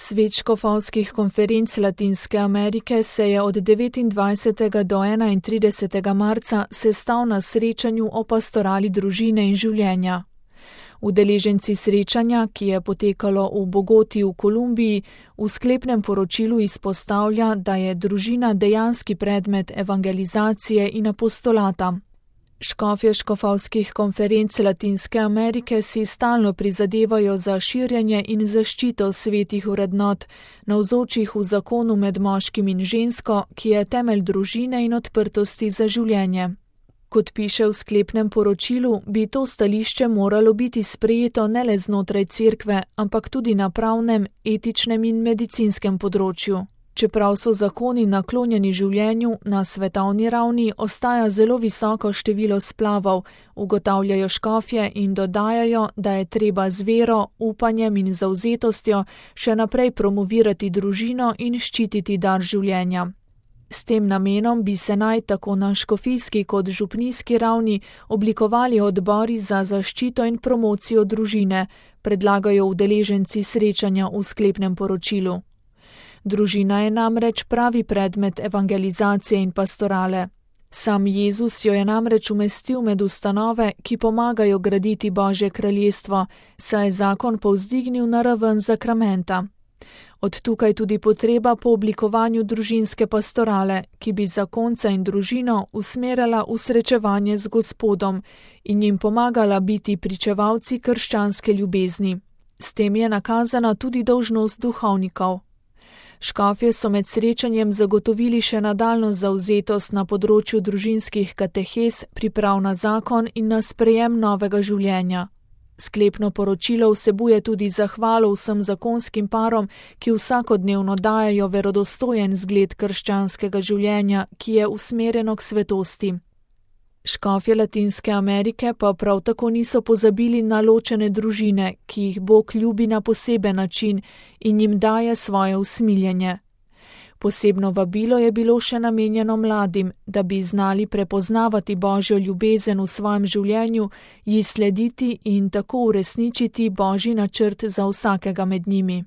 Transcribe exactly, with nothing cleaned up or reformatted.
Svet škofovskih konferenc Latinske Amerike se je od devetindvajsetega do enaintridesetega marca sestal na srečanju o pastorali družine in življenja. Udeleženci srečanja, ki je potekalo v Bogoti v Kolumbiji, v sklepnem poročilu izpostavlja, da je družina dejanski predmet evangelizacije in apostolata. Škofje škofovskih konferenc Latinske Amerike si stalno prizadevajo za širjenje in zaščito svetih vrednot, navzočih v zakonu med moškim in žensko, ki je temelj družine in odprtosti za življenje. Kot piše v sklepnem poročilu, bi to stališče moralo biti sprejeto ne le znotraj cerkve, ampak tudi na pravnem, etičnem in medicinskem področju. Čeprav so zakoni naklonjeni življenju, na svetovni ravni ostaja zelo visoko število splavov, ugotavljajo škofje in dodajajo, da je treba z vero, upanjem in zavzetostjo še naprej promovirati družino in ščititi dar življenja. S tem namenom bi se naj tako na škofijski kot župnijski ravni oblikovali odbori za zaščito in promocijo družine, predlagajo udeleženci srečanja v sklepnem poročilu. Družina je namreč pravi predmet evangelizacije in pastorale. Sam Jezus jo je namreč umestil med ustanove, ki pomagajo graditi Božje kraljestvo, saj je zakon povzdignil na raven zakramenta. Od tukaj tudi potreba po oblikovanju družinske pastorale, ki bi zakonca in družino usmerjala v srečevanje z Gospodom in jim pomagala biti pričevalci krščanske ljubezni. S tem je nakazana tudi dolžnost duhovnikov. Škofje so med srečanjem zagotovili še nadaljnjo zavzetost na področju družinskih katehez, priprav na zakon in na sprejem novega življenja. Sklepno poročilo vsebuje tudi zahvalo vsem zakonskim parom, ki vsakodnevno dajejo verodostojen zgled krščanskega življenja, ki je usmerjeno k svetosti. Škofje Latinske Amerike pa prav tako niso pozabili na ločene družine, ki jih Bog ljubi na poseben način in jim daje svoje usmiljenje. Posebno vabilo je bilo še namenjeno mladim, da bi znali prepoznavati Božjo ljubezen v svojem življenju, ji slediti in tako uresničiti Božji načrt za vsakega med njimi.